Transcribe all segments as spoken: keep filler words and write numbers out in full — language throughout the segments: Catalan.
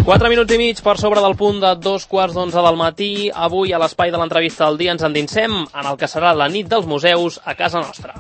Quatre minuts i mig per sobre del punt de dos quarts d'onze del matí. Avui, a l'espai de l'entrevista del dia, ens endinsem en el que serà la nit dels museus a casa nostra.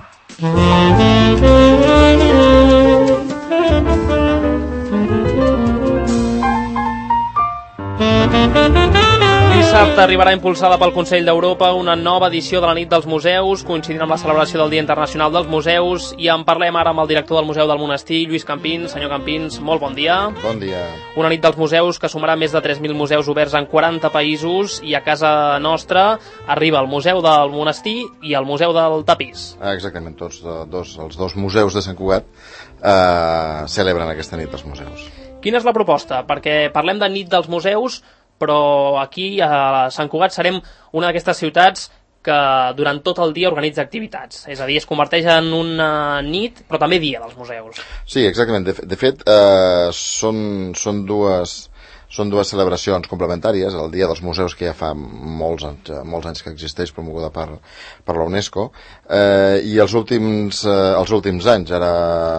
Dissabte arribarà impulsada pel Consell d'Europa una nova edició de la nit dels museus, coincidint amb la celebració del Dia Internacional dels Museus, i en parlem ara amb el director del Museu del Monestir, Lluís Campins. Senyor Campins, molt bon dia. Bon dia. Una nit dels museus que sumarà més de tres mil museus oberts en quaranta països, i a casa nostra arriba el Museu del Monestir i el Museu del Tapís. Exactament, tots dos, els dos museus de Sant Cugat eh, celebren aquesta nit dels museus. Quina és la proposta? Perquè parlem de nit dels museus, però aquí a Sant Cugat serem una d'aquestes ciutats que durant tot el dia organitza activitats. És a dir, es converteix en una nit, però també dia dels museus. Sí, exactament. De, de fet, eh, són, són dues... Són dues celebracions complementàries, el Dia dels Museus, que ja fa molts anys, molts anys que existeix, promoguda per, per la UNESCO, eh, i els últims, eh, els últims anys, ara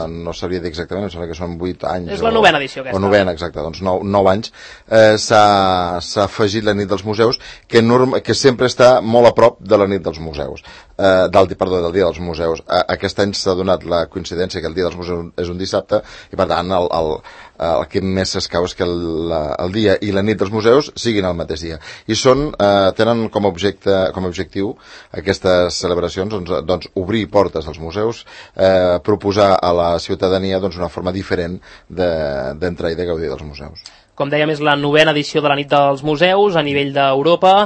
no sabria dir exactament, em sembla que són vuit anys. És la novena edició aquesta. O novena, exacte, doncs nou, nou anys, eh, s'ha afegit la nit dels museus, que, norma, que sempre està molt a prop de la nit dels museus, eh, del, perdó, del Dia dels Museus. Aquest any s'ha donat la coincidència que el Dia dels Museus és un dissabte, i per tant el, el, el que més s'escau és que el, la, el dia i la nit dels museus siguin el mateix dia. I són, eh, tenen com a, objecte, com a objectiu aquestes celebracions doncs, doncs, obrir portes als museus, eh, proposar a la ciutadania doncs, una forma diferent d'entrar de, i de gaudir dels museus. Com dèiem, és la novena edició de la nit dels museus a nivell d'Europa.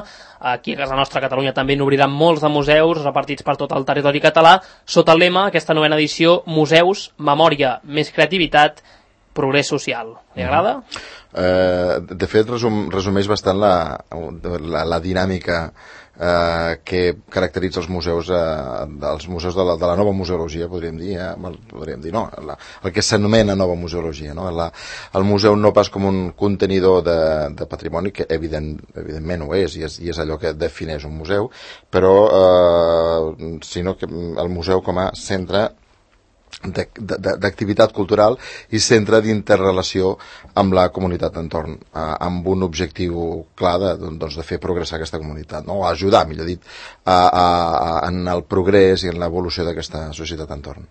Aquí a casa nostra, a Catalunya, també n'obriran molts de museus repartits per tot el territori català, sota el lema, aquesta novena edició, Museus, Memòria, més creativitat, progrés social. Li agrada? Eh, de fet, resum, resumeix bastant la, la, la dinàmica eh, que caracteritza els museus, eh, dels museus de la, de la nova museologia, podríem dir, eh, podríem dir no, la, el que s'anomena nova museologia. No? La, el museu no pas com un contenidor de, de patrimoni, que evident, evidentment ho és i, és, i és allò que defineix un museu, però eh, sinó que el museu com a centre d'activitat cultural i centre d'interrelació amb la comunitat d'entorn, eh, amb un objectiu clar de, doncs, de fer progressar aquesta comunitat, no? O ajudar, millor dit, a, a, a, en el progrés i en l'evolució d'aquesta societat d'entorn.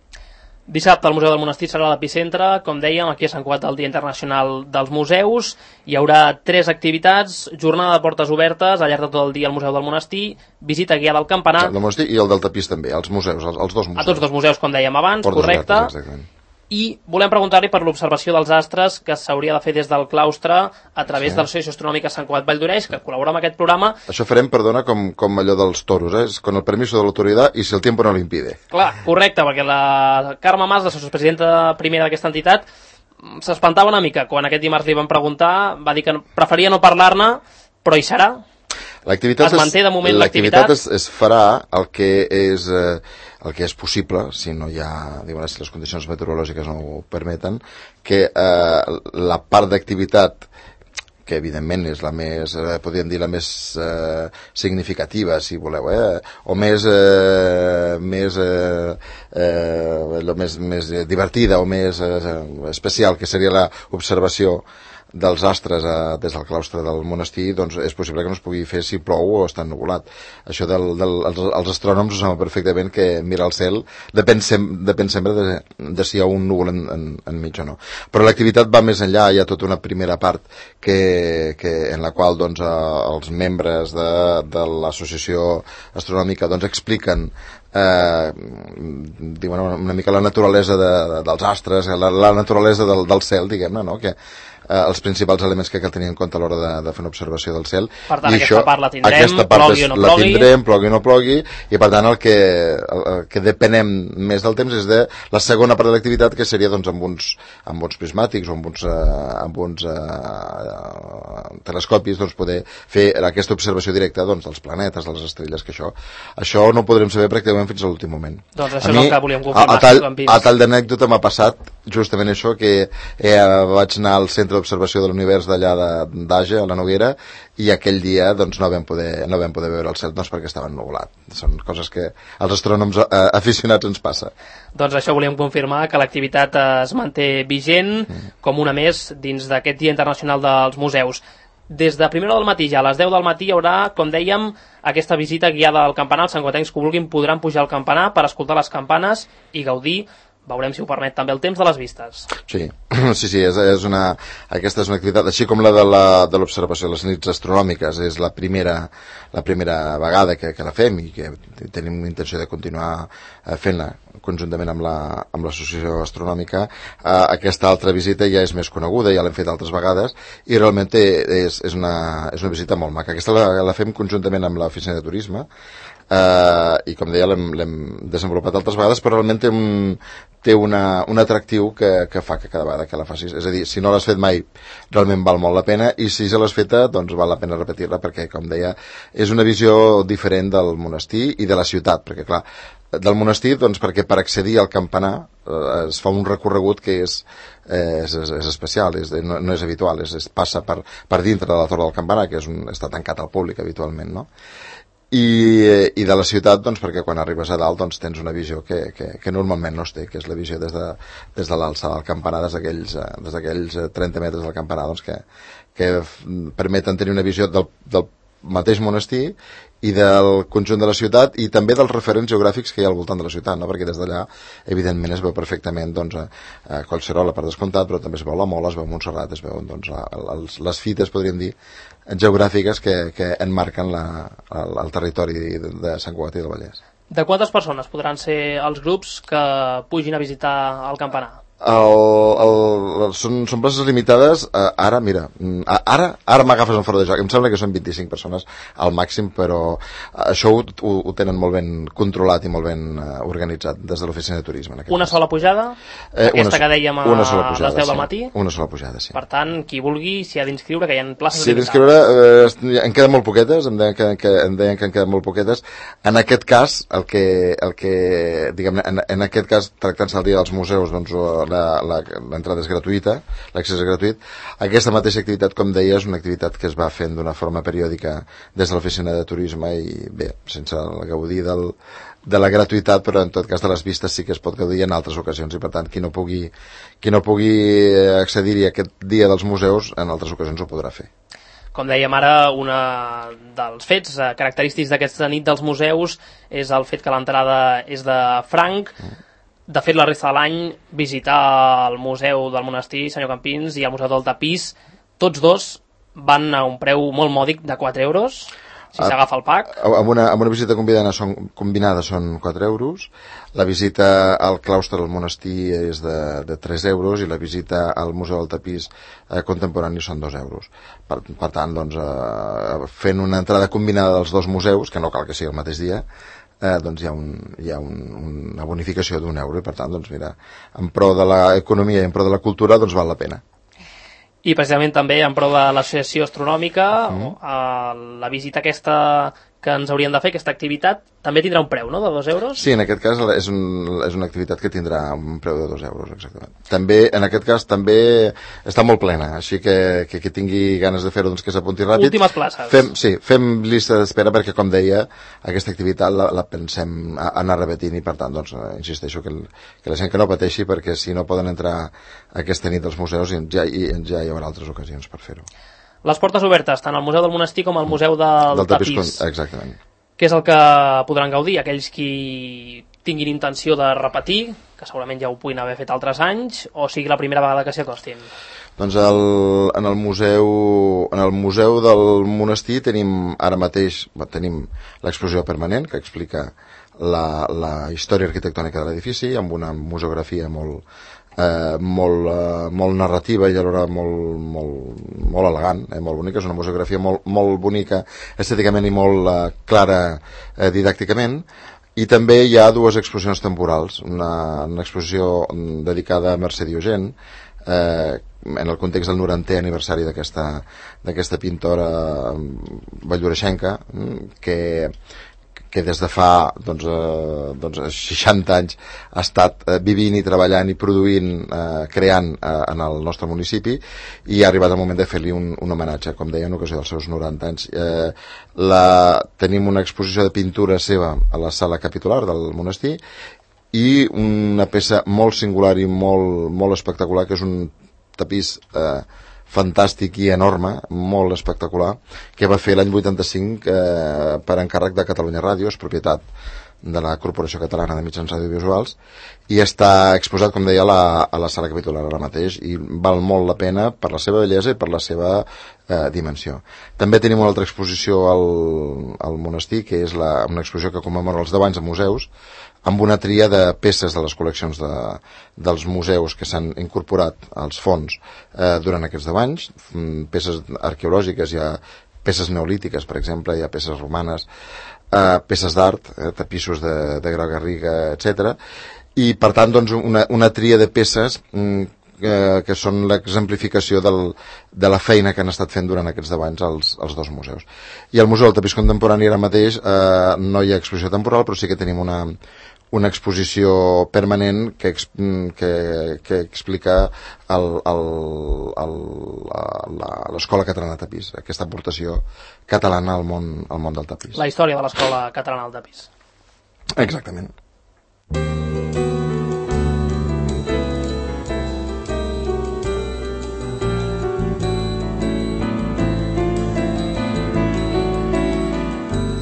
Dissabte el Museu del Monestir serà l'epicentre, com dèiem, aquí a Sant Cugat el Dia Internacional dels Museus. Hi haurà tres activitats: jornada de portes obertes al llarg de tot el dia al Museu del Monestir, visita guiada al campanar... El del Monestir i el del Tapís també, els museus, els, els dos museus. A tots dos museus, com dèiem abans, portes correcte. Obertes, exactament. I volem preguntar-li per l'observació dels astres que s'hauria de fer des del claustre a través sí. de l'Associació Astronòmica Sant Cugat Vall d'Oreix, que col·labora amb aquest programa. Això farem, perdona, com, com allò dels toros, eh? Con el permiso de l'autoritat i si el tiempo no lo impide. Clar, correcte, perquè la Carme Mas, la vicepresidenta primera d'aquesta entitat, s'espantava una mica quan aquest dimarts li van preguntar, va dir que preferia no parlar-ne, però hi serà. L'activitat es manté de moment l'activitat. Es, es farà el que és... Eh, el que és possible, si no hi ha, diuen, si les condicions meteorològiques no ho permeten, que eh, la part d'activitat que evidentment és la més, eh, podríem dir, la més eh, significativa, si voleu, eh, o més, eh, més, eh, eh, lo més, més divertida o més eh, especial, que seria l'observació dels astres a, des del claustre del monestir, doncs és possible que no es pugui fer si plou o està ennuvolat. Això del, del, els, els astrònoms ho saben perfectament, que mirar el cel depèn, sem, depèn sempre de, de si hi ha un núvol en, en, enmig o no. Però l'activitat va més enllà, hi ha tota una primera part que, que, en la qual doncs, els membres de, de l'associació astronòmica doncs, expliquen eh, diuen una mica la naturalesa de, de, dels astres, la, la naturalesa del, del cel, diguem-ne, no? Que eh, els principals elements que cal tenir en compte a l'hora de, de fer una observació del cel. Per tant, I aquesta això, part la tindrem, aquesta part plogui o no la plogui. tindrem, plogui o no plogui, i per tant el que, el, el que depenem més del temps és de la segona part de l'activitat, que seria doncs, amb, uns, amb uns prismàtics o amb uns, eh, amb uns eh, telescopis doncs, poder fer aquesta observació directa doncs, dels planetes, de les estrelles, que això, això no ho podrem saber pràcticament fins a l'últim moment. Doncs això a és mi, el que volíem confirmar. A, a tall, a tall d'anècdota m'ha passat justament això, que eh, vaig anar al centre d'observació de l'univers d'allà d'Age, a la Noguera, i aquell dia doncs, no vam poder, no vam poder veure el cel doncs, perquè estava ennuvolat. Són coses que als astrònoms eh, aficionats ens passa. Doncs això volíem confirmar, que l'activitat es manté vigent mm. com una més dins d'aquest Dia Internacional dels Museus. Des de primera hora del matí, ja a les deu del matí, hi haurà, com dèiem, aquesta visita guiada al campanar. Els santcugatencs que vulguin podran pujar al campanar per escoltar les campanes i gaudir. Veurem si ho permet també el temps de les vistes. Sí, sí, sí, és, és una, aquesta és una activitat, així com la de la, de l'observació de les nits astronòmiques, és la primera, la primera vegada que, que la fem i que tenim intenció de continuar fent-la conjuntament amb la, amb l'associació astronòmica. Eh, aquesta altra visita ja és més coneguda, ja l'hem fet altres vegades i realment és, és, una, és una visita molt maca. Aquesta la, la fem conjuntament amb l'oficina de turisme. Uh, i com deia l'hem desenvolupat altres vegades, però realment té un, té una, un atractiu que, que fa que cada vegada que la facis, és a dir, si no l'has fet mai realment val molt la pena, i si ja l'has feta doncs val la pena repetir-la, perquè com deia és una visió diferent del monestir i de la ciutat, perquè clar, del monestir doncs perquè per accedir al campanar eh, es fa un recorregut que és, eh, és, és especial, és, no, no és habitual, és, es passa per, per dintre de la torre del campanar, que és un, està tancat al públic habitualment, no? I, i de la ciutat doncs perquè quan arribes a dalt doncs tens una visió que, que, que normalment no es té, que és la visió des de, des de l'alçada del campanar, des d'aquells des d'aquells trenta metres del campanar, doncs que, que permeten tenir una visió del, del mateix monestir i del conjunt de la ciutat i també dels referents geogràfics que hi ha al voltant de la ciutat, no? Perquè des d'allà evidentment es veu perfectament doncs, a, a Collserola per descomptat, però també es veu la Mola, es veu Montserrat, es veuen doncs, a, a, les, les fites, podríem dir, geogràfiques que, que enmarquen la, el, el territori de, de Sant Cugat i del Vallès. De quantes persones podran ser els grups que pugin a visitar el campanar? El, el, són, són places limitades. eh, ara, mira, ara ara m'agafes en fora de joc, em sembla que són vint-i-cinc persones al màxim, però això ho, ho, ho tenen molt ben controlat i molt ben uh, organitzat des de l'oficina de turisme. Una cas. sola pujada? Eh, aquesta una, que dèiem a pujada, les deu del matí? Sí, una sola pujada, sí. Per tant, qui vulgui s'hi ha d'inscriure, que hi ha places sí, limitades. d'inscriure, eh, en queden molt poquetes, em deien que, que, em deien que en queden molt poquetes. En aquest cas, el que, el que diguem, en, en aquest cas, tractant-se el dia dels museus, doncs l'entrada és gratuïta, l'accés és gratuït. Aquesta mateixa activitat, com deia, és una activitat que es va fent d'una forma periòdica des de l'oficina de turisme i bé, sense gaudir del, de la gratuïtat, però en tot cas de les vistes sí que es pot gaudir en altres ocasions i per tant qui no pugui, qui no pugui accedir-hi aquest dia dels museus en altres ocasions ho podrà fer. Com dèiem ara, un dels fets característics d'aquesta nit dels museus és el fet que l'entrada és de franc. Mm. De fet, la resta de l'any visitar el Museu del Monestir, senyor Campins, i el Museu del Tapís, tots dos van a un preu molt mòdic de quatre euros, si s'agafa el pack. Amb una, amb una visita combinada són, combinada són quatre euros, la visita al claustre del monestir és de, de tres euros i la visita al Museu del Tapís eh, contemporani són dos euros. Per, per tant, doncs, eh, fent una entrada combinada dels dos museus, que no cal que sigui el mateix dia, Eh, doncs hi ha, un, hi ha un, una bonificació d'un euro i per tant, doncs mira, en pro de l'economia i en pro de la cultura, doncs val la pena. I precisament també en pro de l'associació astronòmica, mm. eh, la visita aquesta que ens haurien de fer, aquesta activitat, també tindrà un preu, no?, de dos euros? Sí, en aquest cas és, un, és una activitat que tindrà un preu de dos euros, exactament. També, en aquest cas, també està molt plena, així que que, que tingui ganes de fer-ho, doncs que s'apunti ràpid. Últimes places. Fem, sí, fem llista d'espera perquè, com deia, aquesta activitat la, la pensem anar repetint i, per tant, doncs, insisteixo que, el, que la gent que no pateixi, perquè si no poden entrar aquesta nit als museus ja, ja hi haurà altres ocasions per fer-ho. Les portes obertes, tant al Museu del Monestir com al Museu del, del Tapís. Tapís. Exactament. Què és el que podran gaudir? Aquells qui tinguin intenció de repetir, que segurament ja ho puguin haver fet altres anys, o sigui la primera vegada que s'hi acostin? Doncs el, en, el museu, en el Museu del Monestir tenim ara mateix tenim l'exposició permanent que explica la, la història arquitectònica de l'edifici amb una museografia molt Eh, molt, eh, molt narrativa i alhora molt, molt, molt elegant, eh, molt bonica. És una museografia molt, molt bonica estèticament i molt eh, clara eh, didàcticament. I també hi ha dues exposicions temporals, una, una exposició dedicada a Mercè Diogent eh, en el context del norantè aniversari d'aquesta d'aquesta pintora valldoreixenca que que des de fa doncs, eh, doncs seixanta anys ha estat eh, vivint i treballant i produint, eh, creant eh, en el nostre municipi, i ha arribat el moment de fer-li un, un homenatge, com deia, en ocasió dels seus noranta anys. Eh, la, tenim una exposició de pintura seva a la sala capitular del monestir, i una peça molt singular i molt, molt espectacular, que és un tapís eh, fantàstic i enorme, molt espectacular, que va fer l'any vuitanta-cinc eh, per encàrrec de Catalunya Ràdio, és propietat de la Corporació Catalana de Mitjans Audiovisuals, i està exposat, com deia, a la, a la sala capitular ara mateix, i val molt la pena per la seva bellesa i per la seva eh, dimensió. També tenim una altra exposició al, al monestir, que és la, una exposició que commemora els deu anys de museus, amb una tria de peces de les col·leccions de, dels museus que s'han incorporat als fons eh, durant aquests deu anys, peces arqueològiques, hi ha peces neolítiques, per exemple, hi ha peces romanes, eh, peces d'art, eh, tapissos de, de Grau Garriga, etcètera. I, per tant, doncs, una, una tria de peces mm, eh, que són l'exemplificació del, de la feina que han estat fent durant aquests deu anys els, els dos museus. I al Museu del Tapís Contemporani ara mateix eh, no hi ha exposició temporal, però sí que tenim una, una exposició permanent que, que, que explica l'Escola Catalana de Tapís, aquesta aportació catalana al món, al món del tapís. La història de l'Escola Catalana del Tapís. Exactament.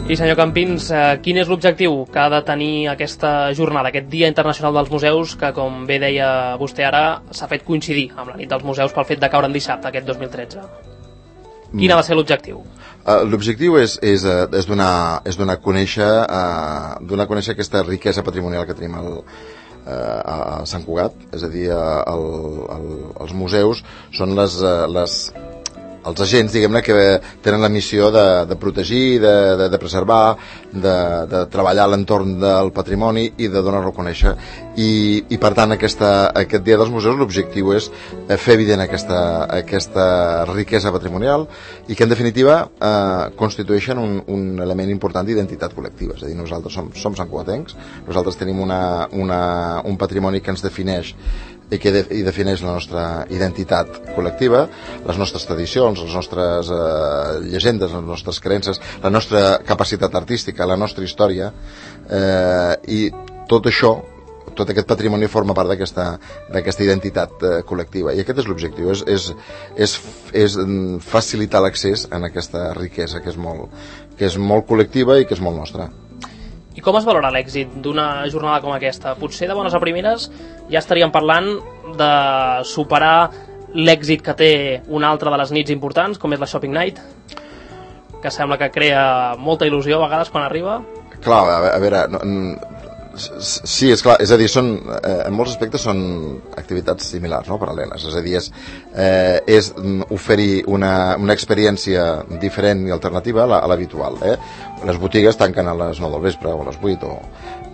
I senyor Campins, quin és l'objectiu que ha de tenir aquesta jornada, aquest Dia Internacional dels Museus, que, com bé deia vostè ara, s'ha fet coincidir amb la nit dels museus pel fet de caure en dissabte, aquest dos mil tretze? Quin ha de ser l'objectiu? Uh, l'objectiu és, és, és, donar, és donar, a conèixer, uh, donar a conèixer aquesta riquesa patrimonial que tenim al, uh, a Sant Cugat, és a dir, el, el, els museus són les... les els agents, diguem-ne, que tenen la missió de, de protegir, de, de, de preservar, de, de treballar a l'entorn del patrimoni i de donar-lo a conèixer. I, i per tant, aquesta, aquest Dia dels Museus, l'objectiu és fer evident aquesta, aquesta riquesa patrimonial i que, en definitiva, eh, constitueixen un, un element important d'identitat col·lectiva. És a dir, nosaltres som, som santcugatencs, nosaltres tenim una, una, un patrimoni que ens defineix i que de, i defineix la nostra identitat col·lectiva, les nostres tradicions, les nostres eh, llegendes, les nostres creences, la nostra capacitat artística, la nostra història, eh, i tot això, tot aquest patrimoni forma part d'aquesta d'aquesta identitat eh, col·lectiva, i aquest és l'objectiu, és, és, és, és facilitar l'accés en aquesta riquesa que és molt, que és molt col·lectiva i que és molt nostra. I com es valora l'èxit d'una jornada com aquesta? Potser de bones a primeres ja estaríem parlant de superar l'èxit que té una altra de les nits importants, com és la Shopping Night, que sembla que crea molta il·lusió a vegades quan arriba. Clar, a veure, no, sí, és clar, és a dir, són, eh, en molts aspectes són activitats similars, no?, paral·leles, és a dir, és, eh, és oferir una, una experiència diferent i alternativa a l'habitual, eh? Les botigues tanquen a les nou del vespre o a les vuit, o...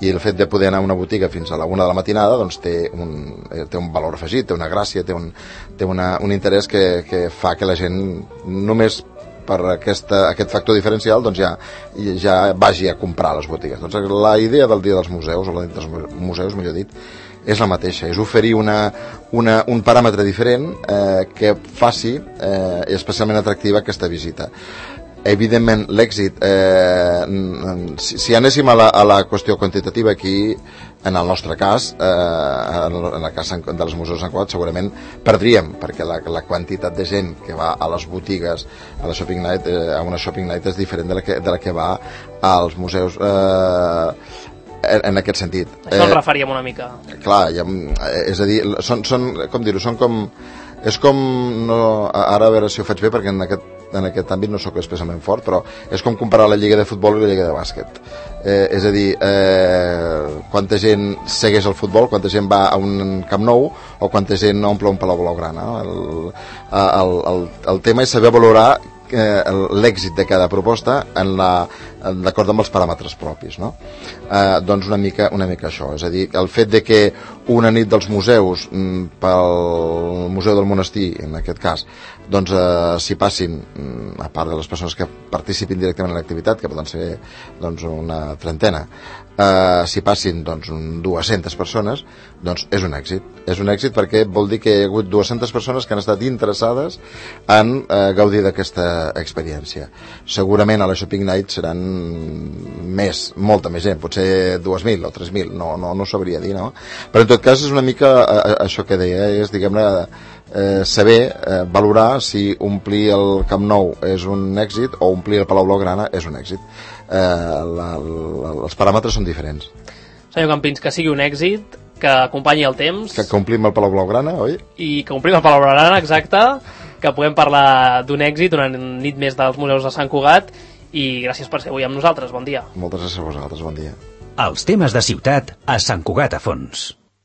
i el fet de poder anar a una botiga fins a la una de la matinada doncs té un, té un valor afegit, té una gràcia, té un, té una, un interès que, que fa que la gent només per aquesta, aquest factor diferencial doncs ja, ja vagi a comprar a les botigues. Doncs la idea del Dia dels Museus, o la nit dels museus, millor dit, és la mateixa, és oferir una, una, un paràmetre diferent eh, que faci eh, especialment atractiva aquesta visita. Evidentment, l'èxit, eh, si, si anéssim a la, a la qüestió quantitativa aquí, en el nostre cas, eh, en el cas de les museus de Sant Cugat, segurament perdríem, perquè la, la quantitat de gent que va a les botigues, a la Shopping Night, eh, a una Shopping Night és diferent de la que, de la que va als museus, eh, en, en aquest sentit. Això ens referíem una mica. Clar, ja, és a dir, són, són com dir-ho, són com... És com, no, ara a veure si ho faig bé, perquè en aquest, en aquest àmbit no sóc especialment fort, però és com comparar la lliga de futbol i la lliga de bàsquet. Eh, és a dir, eh, quanta gent segueix el futbol, quanta gent va a un Camp Nou o quanta gent omple un Palau Blaugrana. El, el, el, el tema és saber valorar eh, l'èxit de cada proposta en la, d'acord amb els paràmetres propis, no? Eh, doncs una mica, una mica això, és a dir, el fet de que una nit dels museus, pel Museu del Monestir, en aquest cas, doncs eh, s'hi passin, a part de les persones que participin directament en l'activitat, que poden ser doncs, una trentena, eh, s'hi passin doncs, dues-centes persones, doncs és un èxit. És un èxit perquè vol dir que hi ha hagut dues-centes persones que han estat interessades en eh, gaudir d'aquesta experiència. Segurament a la Shopping Night seran més, molta més gent, potser dues mil o tres mil, no, no, no sabria dir, no? Però en tot cas és una mica eh, això que deia, és, diguem-ne, eh, saber eh, valorar si omplir el Camp Nou és un èxit o omplir el Palau Blaugrana és un èxit. Eh, la, la, els paràmetres són diferents. Senyor Campins, que sigui un èxit, que acompanyi el temps, que, que omplim el Palau Blaugrana, oi? I que omplim el Palau Blaugrana, exacte, que puguem parlar d'un èxit, una nit més dels museus de Sant Cugat, i gràcies per ser avui amb nosaltres, bon dia. Moltes gràcies a vosaltres, bon dia. Els temes de ciutat a Sant Cugat a fons.